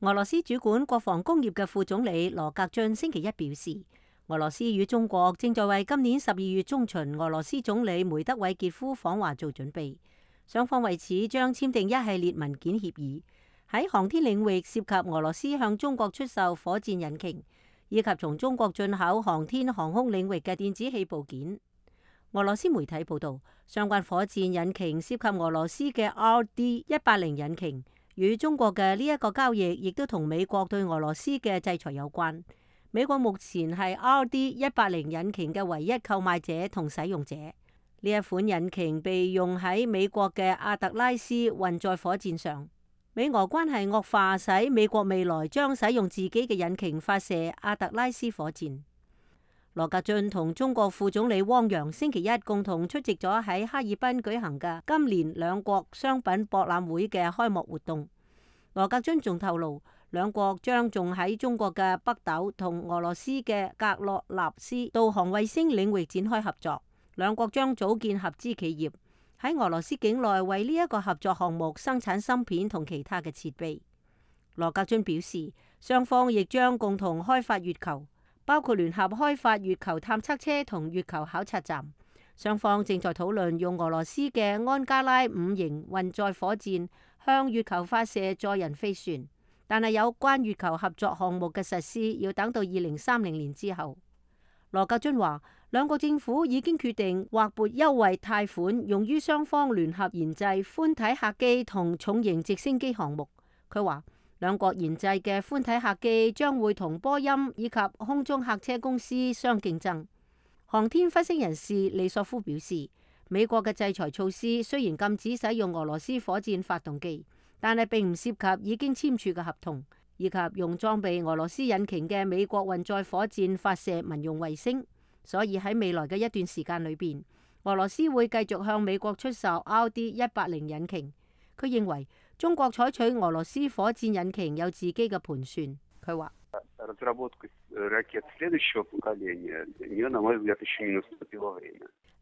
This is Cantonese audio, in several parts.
俄羅斯主管國防工業嘅副總理羅格津星期一表示，俄羅斯與中國正在為今年12月中旬俄羅斯總理梅德韋傑夫訪華做準備，雙方為此將簽訂一系列文件協議，喺航天領域涉及俄羅斯向中國出售火箭引擎，以及從中國進口航天航空領域嘅電子器部件。俄羅斯媒體報道，相關火箭引擎涉及俄羅斯嘅 RD-180引擎，與中國嘅呢一個交易亦都同美國對俄羅斯嘅制裁有關。美國目前係 RD-180引擎嘅唯一購買者同使用者。呢一款引擎被用喺美國嘅阿特拉斯運載火箭上。美俄關係惡化，使美國未來將使用自己嘅引擎發射阿特拉斯火箭。羅格津同中國副總理汪洋星期一共同出席咗喺哈爾濱舉行嘅今年兩國商品博覽會嘅開幕活動。羅格津仲透露，兩國將仲喺中國嘅北斗同俄羅斯嘅格洛納斯導航衛星領域展開合作，兩國將組建合資企業，喺俄羅斯境內為呢一個合作項目生產芯片同其他嘅設備。羅格津表示，雙方亦將共同開發月球，包括聯合開發月球探測車同月球考察站。雙方正在討論用俄羅斯嘅安加拉5型運載火箭向月球發射載人飛船，但係有關月球合作項目嘅實施要等到2030年之後。羅格津話，兩國政府已經決定劃撥優惠貸款用於雙方聯合研製寬體客機同重型直升機項目。佢話，兩國研製嘅寬體客機將會同波音以及空中客車公司相競爭。航天分析人士利索夫表示，美國嘅制裁措施雖然禁止使用俄羅斯火箭發動機，但係並唔涉及已經簽署嘅合同，以及用裝備俄羅斯引擎嘅美國運載火箭發射民用衛星。所以喺未來嘅一段時間裏邊，俄羅斯會繼續向美國出售 RD-180引擎。佢認為中國採取俄羅斯火箭引擎有自己嘅盤算。佢話，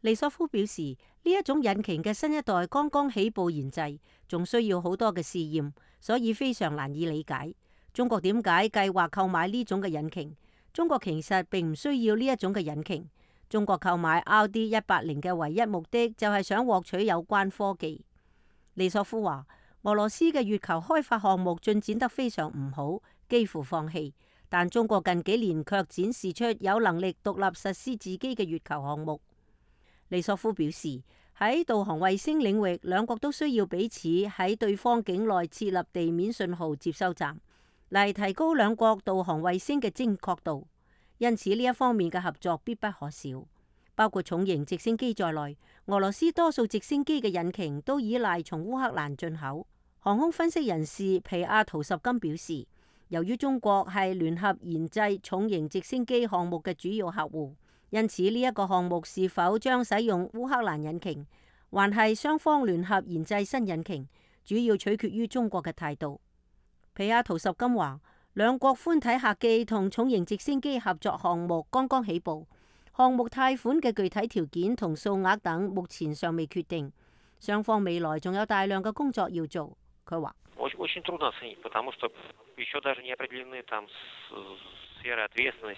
利索夫表示，呢一種引擎嘅新一代剛剛起步研製，仲需要好多嘅試驗，所以非常難以理解中國點解計劃購買呢種嘅引擎。中國其實並唔需要呢一種嘅引擎。中國購買 RD-180嘅唯一目的就係想獲取有關科技。利索夫話，俄羅斯嘅月球開發項目進展得非常唔好，幾乎放棄。但中國近幾年卻展示出有能力獨立實施自己嘅月球項目。利索夫表示，喺導航衛星領域，兩國都需要彼此喺對方境內設立地面信號接收站，嚟提高兩國導航衛星嘅精確度。因此呢一方面嘅合作必不可少。包括重型直升機在內，俄羅斯多數直升機嘅引擎都依賴從烏克蘭進口。航空分析人士皮亞圖什金表示，由於中國係聯合研製重型直升機項目嘅主要客戶，因此呢一個項目是否將使用烏克蘭引擎，還係雙方聯合研製新引擎，主要取決於中國嘅態度。皮亞圖什金話，兩國寬體客機同重型直升機合作項目剛剛起步，項目貸款嘅具體條件同數額等目前尚未決定，雙方未來仲有大量嘅工作要做。佢話，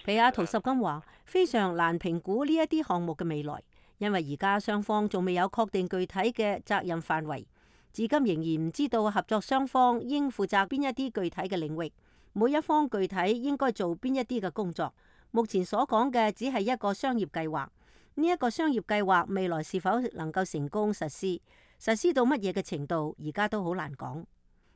皮亞圖什金話，非常難評估呢一啲項目嘅未來，因為而家雙方仲未有確定具體嘅責任範圍，至今仍然唔知道合作雙方應負責邊一啲具體嘅領域，每一方具體應該做邊一啲嘅工作。目前所講嘅只係一個商業計劃，呢一個商業計劃未來是否能夠成功實施到乜嘢嘅程度，而家都好難講。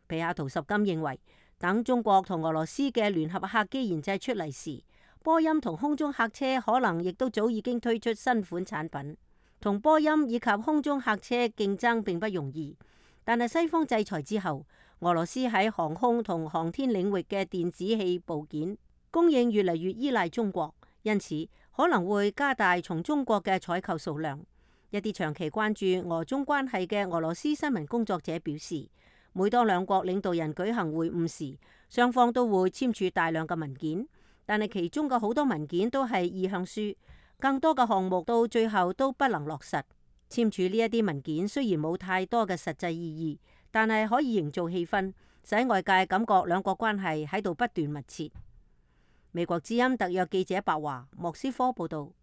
皮亞圖什金認為，等中國同俄羅斯嘅聯合客機研製出嚟時，波音同空中客車可能亦都早已經推出新款產品。同波音以及空中客車競爭並不容易，但係西方制裁之後，俄羅斯喺航空同航天領域嘅電子器部件供應越嚟越依賴中國，因此可能會加大從中國嘅採購數量。一啲長期關注俄中關係嘅俄羅斯新聞工作者表示，每當兩國領導人舉行會晤時，雙方都會簽署大量嘅文件，但係其中嘅好多文件都係意向書，更多嘅項目到最後都不能落實。簽署呢一啲文件雖然冇太多嘅實際意義，但係可以營造氣氛，使外界感覺兩國關係喺度不斷密切。美國之音特約記者白華莫斯科報道。